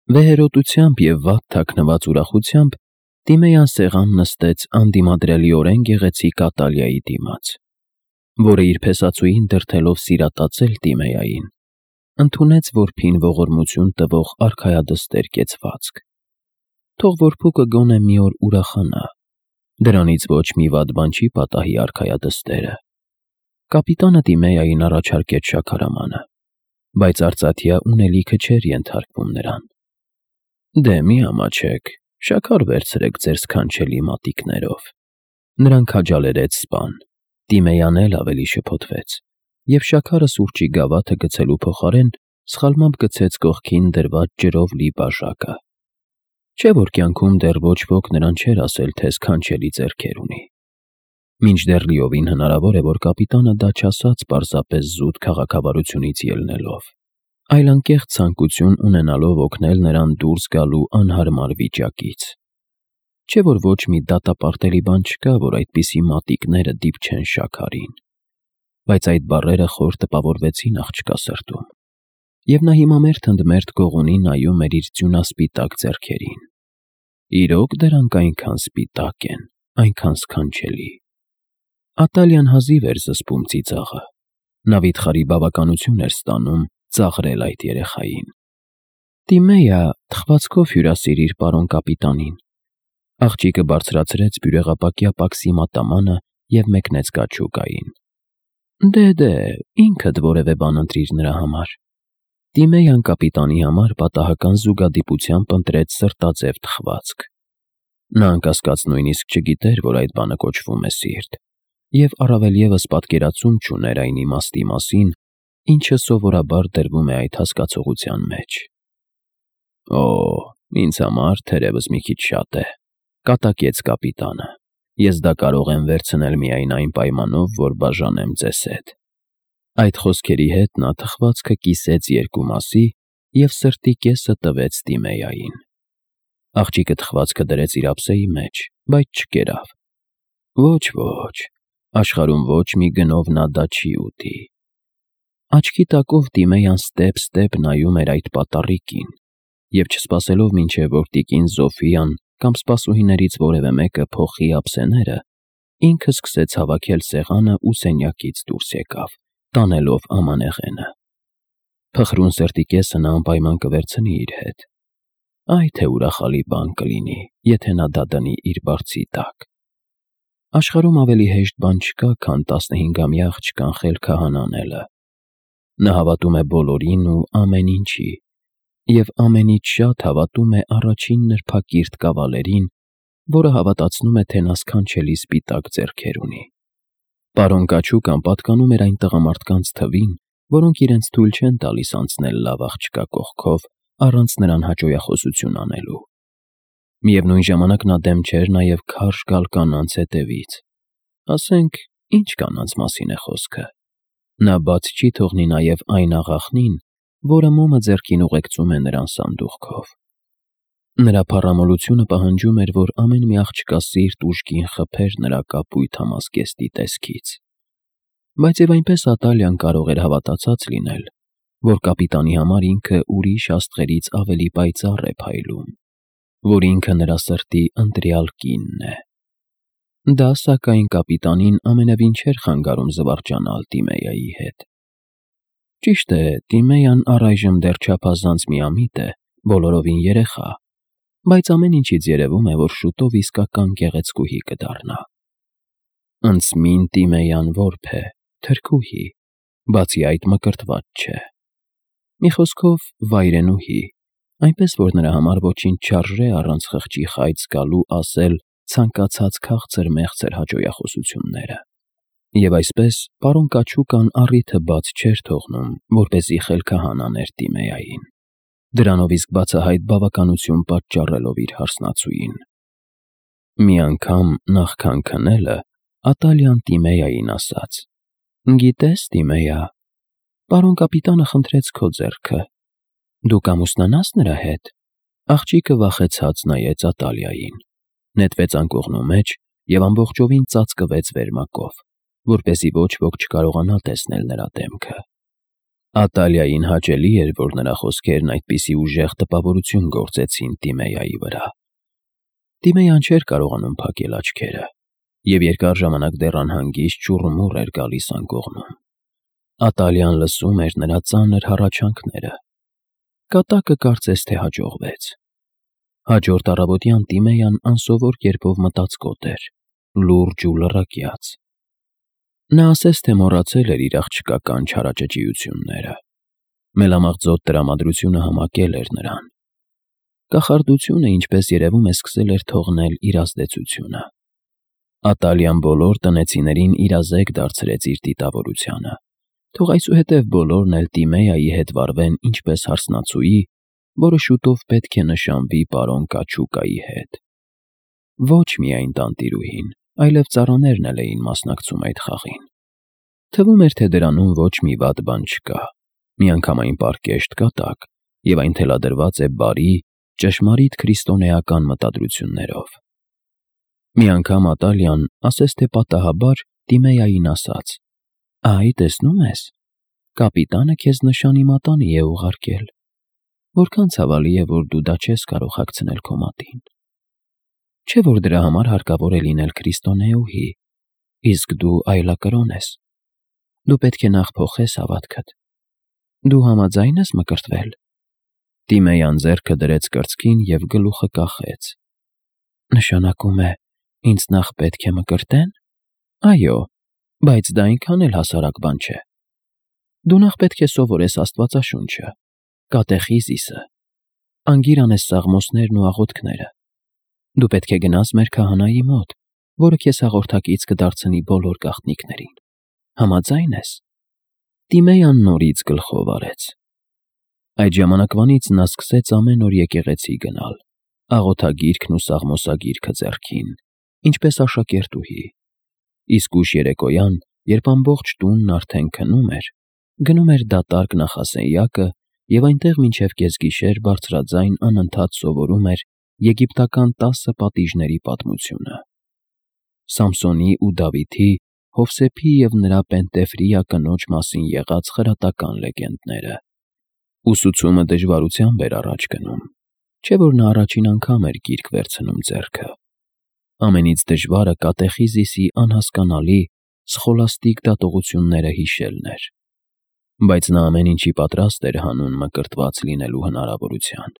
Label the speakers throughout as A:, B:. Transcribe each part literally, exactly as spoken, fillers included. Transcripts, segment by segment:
A: Վեհերոտությամբ և վատ թաքնված ուրախությամբ Տիմեյան սեղան նստեց անդիմադրելիորեն գեղեցիկ Ատալիայի դիմաց, որը իր փեսացուին դրդելով սիրատացել Տիմեյային, ընդունեց որբին ողորմություն տվող արքայադստեր կեցվածք. թող որբուկը գոնե մի օր ուրախանա, դրանից ոչ մի վատ բան չի պատահի արքայադստերը։ Կապիտանը Տիմեյային առաջարկեց շաքարամանը, բայց արծաթյա ունելիքը չէր ենթարկվում նրան։ Դե մի ամաչեք, շաքար վերցրեք ձեր սքանչելի մատիկներով։ Նրան քաջալերեց սպան, Տիմեյան էլ ավելի շփոթվեց, և շաքարը սուրճի գավաթը գցելու փոխարեն սխալմամբ գցեց կողքին դրված ջրով լի բաժակը։ Չէ՞ որ կյանքում դեռ ոչ ոք նրան չէր ասել, թե սքանչելի ձեռքեր ունի։ Մինչդեռ լիովին հնարավոր է, որ կապիտանը դա չասաց պարզապես զուտ քաղաքավարությունից ելնելով, այլ անկեղծ ցանկություն ունենալով օգնել նրան դուրս գալու անհարմար վիճակից։ Չէ՞ որ ոչ մի դատապարտելի բան չկա, որ այդպիսի մատիկները դիպչեն շաքարին։ Բայց այդ բառերը խոր տպավորվեցին աղջկա սրտում, և նա հիմա մերթ ընդ մերթ գողունի նայում էր իր ձյունասպիտակ ձեռքերին։ Իրոք դրանք այնքան սպիտակ են, այնքան սքանչելի։ Ատալիան հազիվ էր զսպում ծիծաղը, նա վիթխարի բավականություն էր ստանում ծաղրել այդ երեխային։ Տիմեյա, թխվածքով հյուրասիրիր պարոն կապիտանին։ Աղջիկը բարձրացրեց բյուրեղապակյա պաքսի մատամանը և մեկնեց կաչուկային։ Դե, դե, ինքդ որևէ բան ընտրիր նրա համար։ Տիմեյան կապիտանի համար պատահական զուգադիպությամբ ընտրեց սրտաձև թխվածք։ Նա անկասկած նույնիսկ չգիտեր, որ այդ բանը կոչվում է սիրտ, և առավել ևս պատկերացում չուներ այն իմաստի մասին, ինչը սովորաբար դրվում է այդ հասկացության մեջ։ Օ, ինձ համար թերևս մի քիչ շատ է, կատակեց կապիտանը։ Ես դա կարող եմ վերցնել միայն այն պայմանով, որ բաժանեմ ձեզ հետ։ Այդ խոսքերի հետ նա թխվածքը կիսեց երկու մասի և սրտի կեսը տվեց Տիմեյային։ Աղջիկը թխվածքը դրեց իր ափսեի մեջ, բայց չկերավ։ Ոչ, ոչ, աշխարհում ոչ մի գնով նա դա չի ուտի։ Աչքի տակով Տիմեյան ստեպ-ստեպ նայում էր այդ պատառիկին, և չսպասելով մինչև որ տիկին Զոֆիան կամ սպասուհիներից որևէ մեկը փոխի ափսեները, ինքը սկսեց հավաքել սեղանը ու սենյակից դուրս եկավ, տանելով ամանեղենը։ Փխրուն սրտի կեսը նա անպայման կվերցնի իր հետ։ Այ թե ուրախալի բան կլինի, եթե նա դա դնի իր բարձի տակ։ Աշխարհում ավելի հեշտ բան չկա, քան տասնհինգամյա աղջկան խելքը հանանելը։ Նա հավատում է բոլորին ու ամեն ինչի, և ամենից շատ հավատում է առաջին նրբակիրթ կավալերին, որը հավատացնում է, թե նա սքանչելի սպիտակ ձեռքեր ունի։ Պարոն կաչուկան պատկանում էր այն տղամարդկանց թվին, որոնք իրենց թույլ չեն տալիս անցնել լավ աղջկա կողքով առանց նրան հաճոյախոսություն անելու։ Միևնույն ժամանակ նա դեմ չէր նաև քարշ գալ կանանց հետևից։ Ասենք, ինչ կանանց մասին է խոսքը։ Նա բաց չի թողնի նաև այն աղախնին, որը մոմը ձեռքին ուղեկցում է նրան սանդուղքով։ Նրա փառամոլությունը պահանջում էր, որ ամեն մի աղջկա սիրտ ուժգին խփեր նրա կապույտ համազգեստի տեսքից։ Բայց և այնպես Ատալիան կարող էր հավատացած լինել, որ կապիտանի համար ինքը ուրիշ աստղերից ավելի պայծառ է փայլում, որ ինքը նրա սրտի ընտրյալ կինն է։ Դա, սակայն, կապիտանին ամենևին չէր խանգարում զվարճանալ Տիմեյայի հետ։ Ճիշտ է, Տիմեյան առայժմ դեռ չափազանց միամիտ է, բոլորովին երեխա, բայց ամեն ինչից երևում է, որ շուտով իսկական գեղեցկուհի կդառնա։ Ընծմին Տիմեյան որբ է, թրքուհի, բացի այդ մկրտված չէ։ Մի խոսքով, վայրենուհի, այնպես որ նրա համար ոչինչ չարժե առանց խղճի խայծ գալու ասել ցանկացած քաղցր֊մեղցր հաճոյախոսությունները։ Եվ այսպես պարոն կաչուկան առիթը բաց չէր թողնում, որպեսզի խելքը հանաներ Տիմեյային, դրանով իսկ բացահայտ բավականություն պատճառելով իր հարսնացուին։ Մի անգամ նախքան քնելը Ատալիան Տիմեյային ասաց. Գիտես, Տիմեյա, պարոն կապիտանը խնդրեց քո ձեռքը։ Դու կամուսնանա՞ս նրա հետ։ Աղջիկը վախեցած նայեց Ատալիային, նետվեց անկողնու մեջ և ամբողջովին ծածկվեց վերմակով, որպեսզի ոչ ոք չկարողանա տեսնել նրա դեմքը։ Ատալիային հաճելի էր, որ նրա խոսքերն այդպիսի ուժեղ տպավորություն գործեցին Տիմեայի վրա։ Տիմեյան չէր կարողանում փակել աչքերը, և երկար ժամանակ դեռ անհանգիստ ճուռումուռ էր գալիս անկողնում։ Ատալիան լսում էր նրա ծանր հառաչանքները։ Կատակը կարծես թե հաջողվեց։ Հաջորդ առավոտյան Տիմեյան անսովոր կերպով մտածկոտ էր, լուրջ ու լռակյաց։ Նա ասես թե մոռացել էր իր աղջկական չարաճճիությունները։ Մելամաղձոտ տրամադրությունը համակել էր նրան։ Կախարդությունը, ինչպես երևում է, սկսել էր թողնել իր ազդեցությունը։ Ատալիան բոլոր տնեցիներին իրազեկ դարձրեց իր դիտավորությանը, թող այսուհետև բոլորն էլ Տիմեայի հետ վարվեն ինչպես հարսնացուի, որը շուտով պետք է նշանվի պարոն Կաչուկայի հետ։ Ոչ միայն տանտիրուհին, այլև ծառաներն էլ էին մասնակցում այդ խաղին։ Թվում էր, թե դրանում ոչ մի վատ բան չկա, միանգամայն պարկեշտ կատակ, և այն թելադրված է բարի, ճշմարիտ քրիստոնեական մտադրություններով։ Մի անգամ Ատալիան, ասես թե պատահաբար, Տիմեային ասաց. «Այ, տեսնում ես, կապիտանը քեզ նշանի մատանի է ուղարկել։ Որքան ցավալի է, որ դու դա չես կարող հագցնել քո մատին։ Չէ՞ որ դրա համար հարկավոր է լինել քրիստոնեուհի, իսկ դու այլակրոն ես։ Դու պետք է նախ փոխես հավատքդ։ Դու համաձայն ես մկրտվել»։ Տիմեյան ձեռքը դրեց կրծքին և գլուխը կախեց։ «Նշանակում է, ինձ նախ պետք է մկրտե՞ն։ Այո, բայց դա այնքան էլ հասարակ բան չէ։ Դու նախ պետք է սովորես Աստվածաշունչը, կատեխիզիսը, անգիր անես սաղմոսներն ու աղոթքները։ Դու պետք է գնաս մեր քահանայի մոտ, որը քեզ հաղորդակից կդարձնի բոլոր գաղտնիքներին։ Համաձայն ես»։ Տիմեյան նորից գլխով արեց։ Այդ ժամանակվանից նա սկսեց ամեն օր եկեղեցի գնալ, աղոթագիրքն ու սաղմոսագիրքը ձեռքին, ինչպես աշակերտուհի։ Իսկ ուշ երեկոյան, երբ ամբողջ տունն արդեն քնում էր, գնում էր դատարկ նախասենյակը և այնտեղ մինչև կեսգիշեր բարձրաձայն անընդհատ սովորում էր եգիպտական տասը պատիժների պատմությունը։ Սամսոնի ու Դավիթի, Հովսեփի և նրա Պենտեֆրիա կնոջ մասին եղած խրատական լեգենդները։ Ուսուցումը դժվարությամբ էր առաջ գնում, չէ՞ որ նա առաջին անգամ էր գիրք վերցնում ձեռքը։ Ամենից դժվարը կատեխիզիսի անհասկանալի, սխոլաստիկ դատողությունները հիշելն էր։ Բայց նա ամեն ինչի պատրաստ էր հանուն մկրտված լինելու հնարավորության։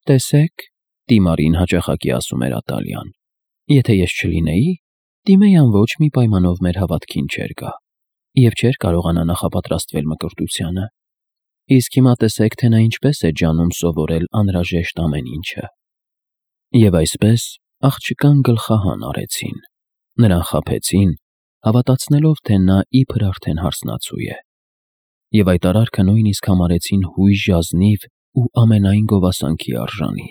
A: «Տեսեք», Տիմարին հաճախակի ասում էր Ատալիան, «եթե ես չլինեի, Տիմեյան ոչ մի պայմանով մեր հավատքին չէր գա և չէր կարողանա նախապատրաստվել մկրտությանը։ Իսկ հիմա տեսեք, թե նա ինչպես է ջանում սովորել անհրաժեշտ ամեն ինչը»։ Եվ այսպես աղջկան գլխահան արեցին, նրան խաբեցին, հավատացնելով, թե նա իբր արդեն հարսնացու է։ Եվ այդ արարքը նույնիսկ համարեցին հույժ ազնիվ ու ամենայն գովասանքի արժանի։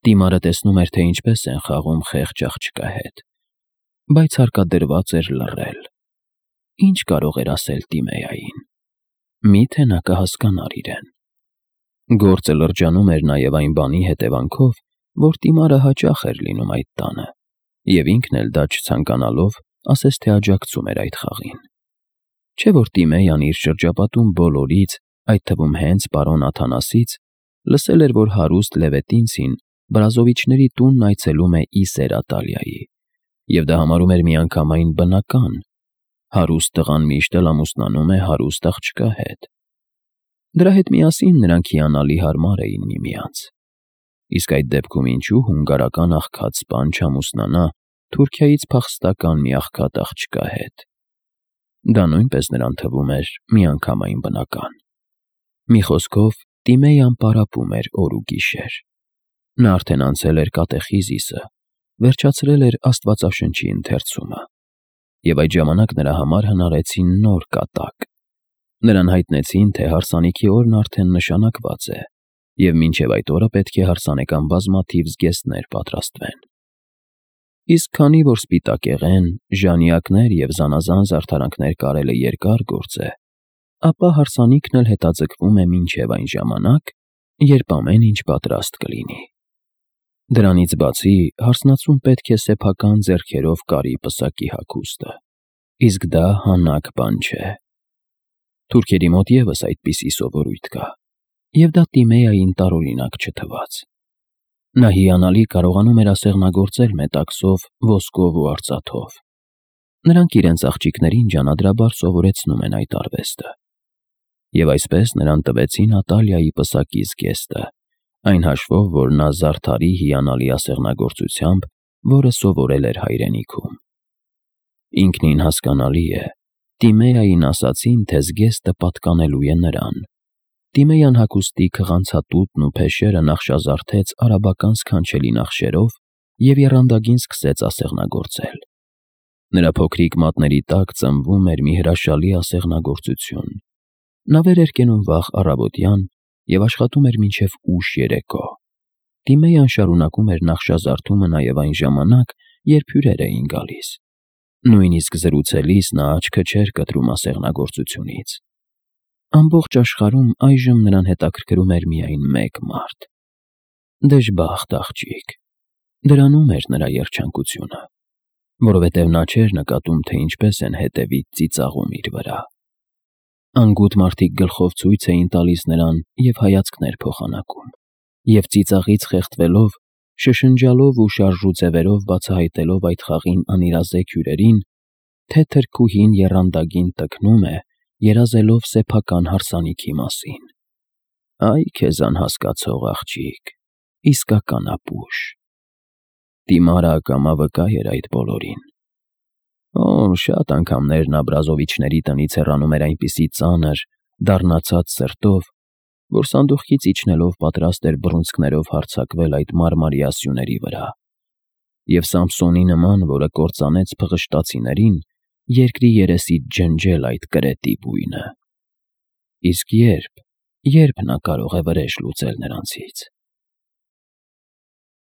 A: Տիմարը տեսնում էր, թե ինչպես են խաղում խեղճ աղջկա հետ, բայց հարկադրված էր լռել։ Ինչ կարող էր ասել Տիմեային։ Մի՞թե նա կհասկանար իրեն։ Գործը լրջանում էր նաև այն բանի հետևանքով, որ Տիմարը հաճախ էր լինում այդ տանը, և ինքն էլ դա չցանկանալով, ասես թե աջակցում էր այդ խաղին։ Չէ՞ որ Տիմեյան իր շրջապատում բոլորից, այդ թվում հենց պարոն Աթանասից, լսել էր, որ հարուստ Լևետինցին Բրազովիչների տունն այցելում է ի սեր Ատալիայի, և դա համարում էր միանգամայն բնական։ Հարուստ տղան միշտ էլ ամուսնանում է հարուստ աղջկա հետ։ Դրա հետ միասին նրանք հիանալի հարմար էին միմյանց։ Իսկ այդ դեպքում ինչու հունգարական աղքատ սպան չամուսնանա Թուրքիայից փախստական մի աղքատ աղջկա հետ։ Դա նույնպես նրան թվում էր միանգամայն բնական։ Մի խոսքով, Տիմեյան պարապում էր օր ու գիշեր։ Նա արդեն անցել էր կատեխիզիսը, վերջացրել էր Աստվածաշնչի ընթերցումը, և այդ ժամանակ նրա համար հնարեցին նոր կատակ։ Նրան հայտնեցին, թե հարսանիքի օրն արդեն նշանակված է, և մինչև այդ օրը պետք է հարսանեկան բազմաթիվ զգեստներ պատրաստվեն։ Իսկ քանի որ սպիտակեղեն, ժանյակներ և զանազան զարդարանքներ կարելը երկար գործ է, ապա հարսանիքն էլ հետաձգվում է մինչև այն ժամանակ, երբ ամեն ինչ պատրաստ կլինի։ Դրանից բացի, հարսնացուն պետք է սեփական ձեռքերով կարի պսակի հագուստը, իսկ դա հանաք բան չէ։ Թուրքերի մոտ ևս այդպիսի սովորույթ կա, և դա Տիմեային տարօրինակ չթվաց։ Նա հիանալի կարողանում էր ասեղնագործել մետաքսով, ոսկով ու արծաթով։ Նրանք իրենց աղջիկներին ջանադրաբար սովորեցնում են այդ արվեստը։ Եվ այսպես նրան տվեցին Ատալիայի պսակի զգեստը, այն հաշվով, որ նա զարդարի հիանալի ասեղնագործությամբ, որը սովորել էր հայրենիքում։ Ինքնին հասկանալի է, Տիմեային ասացին, թե զգեստը պատկանելու է նրան։ Տիմեյան հագուստի քղանցատուտն ու փեշերը նախշազարդեց արաբական սքանչելի նախշերով և եռանդագին սկսեց ասեղնագործել։ Նրա փոքրիկ մատների տակ ծնվում էր մի հրաշալի ասեղնագործություն։ Նա վեր էր կենում վաղ առավոտյան և աշխատում էր մինչև ուշ երեկո։ Տիմեյան շարունակում էր նախշազարդումը նաև այն ժամանակ, երբ հյուրեր էին գալիս։ Նույնիսկ զրուցելիս նա աչքը չէր կտրում ասեղնագործությունից։ Ամբողջ աշխարհում այժմ նրան հետաքրքրում էր միայն մեկ մարդ։ Դժբախտ աղջիկ։ Դրանում էր նրա երջանկությունը, որովհետև նա չէր նկատում, թե ինչպես են հետևից ծիծաղում իր վրա։ Անգութ մարդիկ գլխով ցույց էին տալիս նրան և հայացքներ փոխանակում, և ծիծաղից խեղդվելով, շշնջալով ու շարժու ձևերով բացահայտելով այդ խաղին անիրազեկ հյուրերին, թե թրքուհին եռանդագին տքնում է, երազելով սեփական հարսանիքի մասին։ Այ քեզ անհասկացող աղջիկ, իսկական ապուշ։ Տիմարը ակամա վկա էր այդ բոլորին։ Օ, շատ անգամներ նա Բրազովիչների տնից հեռանում էր այնպիսի ծանր, դառնացած սրտով, որ սանդուղքից իջնելով պատրաստ էր բռունցքներով հարձակվել այդ մարմարյա սյուների վրա, և Սամսոնի նման, որը կործանեց փղշտացիներին, երկրի երեսից ջնջել այդ կրետի բույնը։ Իսկ ե՞րբ, ե՞րբ նա կարող է վրեժ լուծել նրանցից։